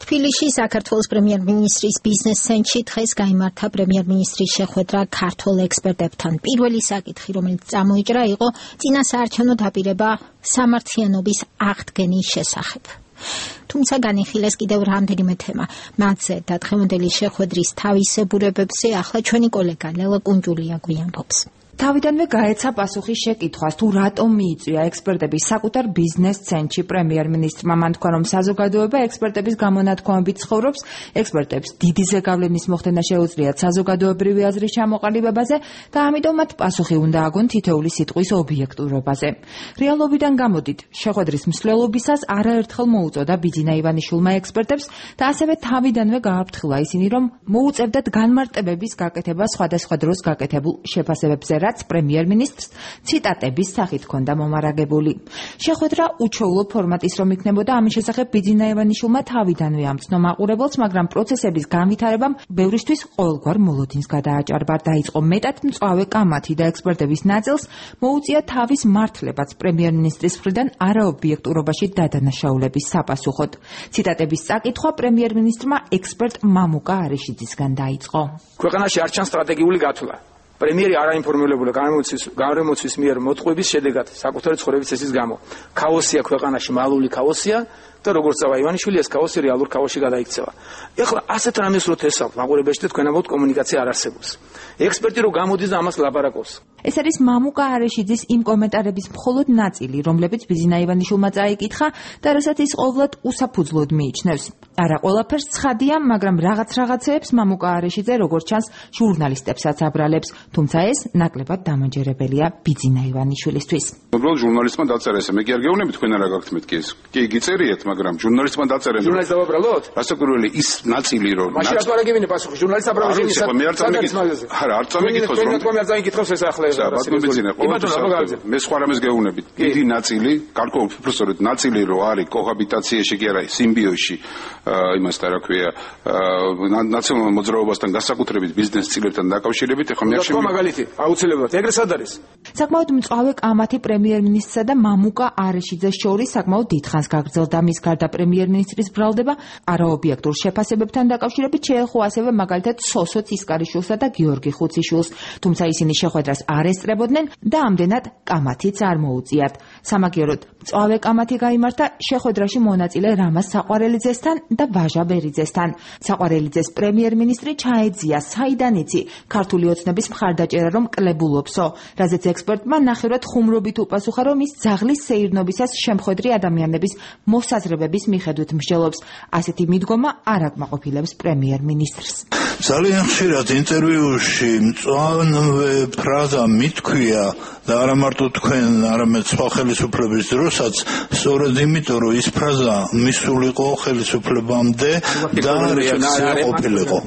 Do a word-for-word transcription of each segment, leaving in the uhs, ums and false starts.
თბილისში საქართველოს პრემიერ-მინისტრის ბიზნეს ცენტრში დღეს გაიმართა პრემიერ-მინისტრის შეხვედრა ქართველ ექსპერტებთან. პირველი საკითხი, რომელიც წამოიჭრა, იყო წინასაარჩევნო დაპირება სამართლიანობის აღდგენის შესახებ. თუმცა განიხილეს კიდევ რამდენიმე თემა. მათზე და დღევანდელი შეხვედრის თავისებურებებზე ახლა ჩვენი კოლეგა ლელა კუნჯულია გვიამბობს. თავიდანვე გაეცა პასუხი შეკითხვას, თუ რატომ მიიწვია ექსპერტების საკუთარ ბიზნეს ცენტრში პრემიერ-მინისტრმა. მან თქვა, რომ საზოგადოება ექსპერტების გამონათქვამებით ცხოვრობს, ექსპერტებს დიდი ზეგავლენის მოხდენა შეუძლიათ საზოგადოებრივი აზრის ჩამოყალიბებაზე და ამიტომ მათ პასუხი უნდა აგონ თითოეული სიტყვის ობიექტურობაზე. რეალობიდან გამოდით, შეხვედრის მსვლელობისას არაერთხელ მოუწოდა ბიძინა ივანიშვილმა ექსპერტებს და ასევე თავიდანვე გააფრთხილა ისინი, რომ მოუწევდათ განმარტებების გაკეთება სხვადასხვა დროს გაკეთებულ შეფასებებზე, რაც პრემიერ-მინისტრს ციტატების სახით ჰქონდა მომარაგებული. შეხვედრა უჩვეულო ფორმატის რომ იქნებოდა, ამის შესახებ ბიძინა ივანიშვილმა თავიდანვე ამცნო მაყურებელს, მაგრამ პროცესების განვითარებამ ბევრისთვის ყოველგვარ მოლოდინს გადააჭარბა. დაიწყო მეტად მწვავე კამათი და ექსპერტების ნაწილს მოუწია თავის მართლებაც პრემიერ-მინისტრის მხრიდან არაობიექტურობაში დადანაშაულების sapasუხოდ. ციტატების წაკითხვა პრემიერ-მინისტრმა ექსპერტ მამუკა არიშიძისგან დაიწყო. ქვეყანაში არ ჩანს სტრატეგიული გათვლა. პრემიერი არაინფორმირებულა გამომცვის მიერ მოტყუების შედეგად საკუთარი ცხოვრების წესის გამო. ქაოსია ქვეყანაში, მალული ქაოსია და როგორც წავა ივანიშვილი, ეს ქაოსი რეალურ ქაოსში გადაიქცევა. ეხლა ასეთ რამეს რო თესავთ მაყურებელში და თქვენ ამბობთ კომუნიკაცია არ არსებობს. ექსპერტი რო გამოდის და ამას ლაპარაკობს. ეს არის მამუკა არიშიძის იმ კომენტარების მხოლოდ ნაწილი, რომლებიც ბიძინა ივანიშვილმა წაიკითხა და რასაც ის ყოვლად უსაფუძვლოდ მიიჩნევს. არა ყველაფერს ცხადია, მაგრამ რაღაც რაღაცეებს მამუკა არიშიძე როგორც ჩანს ჟურნალისტებსაც აბრალებს, თუმცა ეს ნაკლებად დამაჯერებელია ბიძინა ივანიშვილისთვის. უბრალოდ ჟურნალისტმა დაწერა ესე, მე კი არ გეუბნები თქვენ არა გაქვთ მეთქი ეს. კი გიწერიეთ, მაგრამ ჟურნალისტმა დაწერა. ჟურნალისტ დავაბრალოთ? რასაკვირველი ის ნაწილი რომ მაშინ რატო არ აგებინე პასუხი ჟურნალისტ აბრალოს იმის. მე არ წამიკითხავს. არა, არ წამიკითხავს რომ თქვენ არ წამიკითხავს ეს ახლა ეს რასაკვირველია. მე სხვა რამეს გეუბნებით. დიდი ნაწილი, გარკვეულ პროფესორად ნაწილი რო არის კოჰაბიტაციაში კი არა, სიმბიოზში იმასთან რა ქვია, ნაციონალურ მოძრაობასთან განსაკუთრებით ბიზნეს წილებთან დაკავშირებით, ეხლა მე არ შემიძლია მაგალითი, აუცილებლად ეგრე სად არის? საკმაოდ მწვავე კამათი პრემიერ-მინისტრსა და მამუკა არიშიძეს შორის საკმაოდ დიდხანს გაგრძელდა. მის გარდა პრემიერ-მინისტრის ბრალდება არაობიექტურ შეფასებებთან დაკავშირებით შეეხო ასევე მაგალითად სოსო ცისკარიშვილსა და გიორგი ხუციშვილს, თუმცა ისინი შეხვედრას არ ესწრებოდნენ და ამდენად კამათიც არ მოუწიათ. სამაგიეროდ მწვავე კამათი გაიმართა შეხვედრაში მონაწილე რამაზ საყვარელიძესთან და ვაჟა ბერიძესთან. საყვარელიძეს პრემიერ-მინისტრი ჩაეძია, საიდან იცი ქართული ოცნების მხარდაჭერა რომ კლებულობსო, რაზეც ექსპერტმა ნახევრად ხუმრობით უპასუხა, რომ ის ძაღლის სეირნობისას შემხვედრი ადამიანების მოსაზრებების მიხედვით მსჯელობს. ასეთი მიდგომა არ აკმაყოფილებს პრემიერ-მინისტრს. ძალიან ხშირად ინტერვიუში მწვავე ფრაზა მithქვია და არა მარტო თქვენ, არამედ სხვა ხელისუფლების დროსაც, სწორედ იმიტომ, რომ ის ფრაზა მისულიყო ხელისუფლებამდე და რეაქცია ყოფილიყო.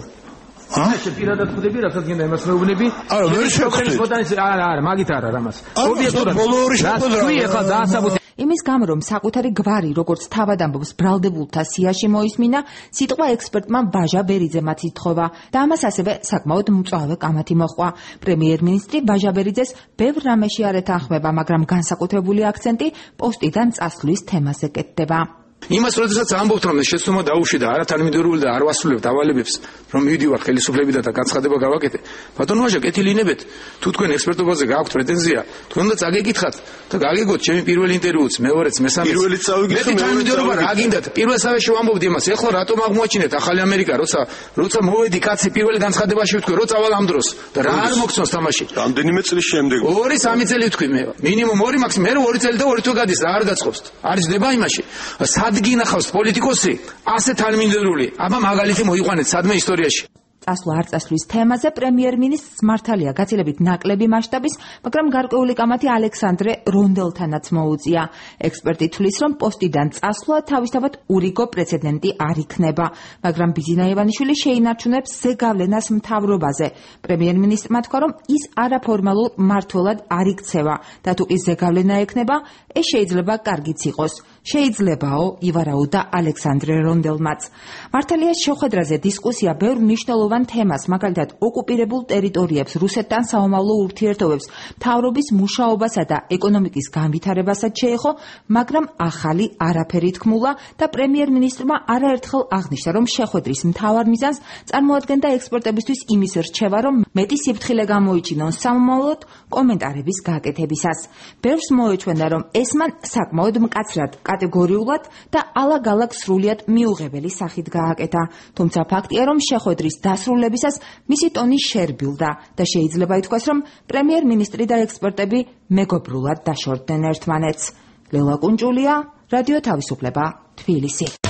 ეს პირადად ხვდები, რასაც გინდა იმას მეუბნები. არა, ვერ შევხვდით. არა, არა, მაგით არა რამას. ობიექტურად ბოლო ორი შეხვედრა. იმის გამო, რომ საკუთარი გვარი, როგორც თავად ამბობს, ბრალდებულთა სიაში მოისმინა, სიტყვა ექსპერტმა ვაჟა ბერიძემაც ითხოვა და ამას ასევე საკმაოდ მწვავე კამათი მოჰყვა. პრემიერ-მინისტრი ვაჟა ბერიძეს ბევრ რამეში არ ეთანხმება, მაგრამ განსაკუთრებული აქცენტი პოსტიდან წასვლის თემაზე კეთდება. იმას როდესაც ამბობთ, რომ შეცდომა დაუშვი და არათანმიმდევრული და არ ვასრულებთ ავალებებს, რომ მივიდივარ ხელისუფლებიდან და განცხადება გავაკეთე. ბატონო ვაჟა, კეთილინებეთ, თუ თქვენ ექსპერტობაზე გააქვთ პრეტენზია, თქვენ უნდა წაგეკითხათ და გაგეგოთ ჩემი პირველი ინტერვიუც, მეორეც, მესამეც. პირველიც წავიკითხე, თანმიმდევრობა რა გინდათ? პირველსავეში ვამბობდი იმას, ეხლა რატომ აღმოაჩინეთ ახალი ამერიკა, როცა როცა მოვედი კაცი პირველი განცხადებაში ვთქვი, რო წავალ ამ დროს და რა არ მოგწონს თამაში. რამდენიმე წლის შემდეგ. ორი სამი წელი ვთქვი მე. მინიმუმ ორი მაქსიმუმ მე ორი წელი და ორი თვე გადის რა არ გაწყობს. არის დება იმაში. გინახავს პოლიტიკოსი ასე თანმიმდევრული. აბა მაგალითი მოიყვანეთ სადმე ისტორიაში. წასვლა არ წასვლის თემაზე პრემიერ-მინისტრს მართალია გაცილებით ნაკლები მასშტაბის, მაგრამ გარკვეული კამათი ალექსანდრე რონდელთანაც მოუწია. ექსპერტი თვლის, რომ პოსტიდან წასვლა თავისთავად ურიგო პრეცედენტი არ იქნება, მაგრამ ბიძინა ივანიშვილი შეინარჩუნებს ზეგავლენას მთავრობაზე. პრემიერ-მინისტრმა თქვა, რომ ის არაფორმალურ მმართველად არ იქცევა და თუ კი ზეგავლენა ექნება, ეს შეიძლება კარგიც იყოს. შეიძლებაო, ივარაუდა ალექსანდრე რონდელმაც. მართალია შეხვედრაზე დისკუსია ბევრ მნიშვნელოვან თემას, მაგალითად ოკუპირებულ ტერიტორიებს, რუსეთთან საომავლო ურთიერთობებს, მთავრობის მუშაობასა და ეკონომიკის განვითარებასაც შეეხო, მაგრამ ახალი არაფერი თქმულა და პრემიერ-მინისტრმა არაერთხელ აღნიშნა, რომ შეხვედრის მთავარ მიზანს წარმოადგენდა ექსპერტებისთვის იმის რჩევა, რომ მეტი სიფრთხილე გამოიჩინონ სამომავლოდ კომენტარების გაკეთებისას. ბევრს მოეჩვენა, რომ ეს მან საკმაოდ მკაცრად, კატეგორიულად და ალაგ-ალაგ სრულიად მიუღებელი სახით გააკეთა. თუმცა ფაქტია, რომ შეხვედრის დასრულებისას მისი ტონი შერბილდა და შეიძლება ითქვას, რომ პრემიერ-მინისტრი და ექსპერტები მეგობრულად დაშორდნენ ერთმანეთს. ლელა კუნჭულია, რადიო თავისუფლება, თბილისი.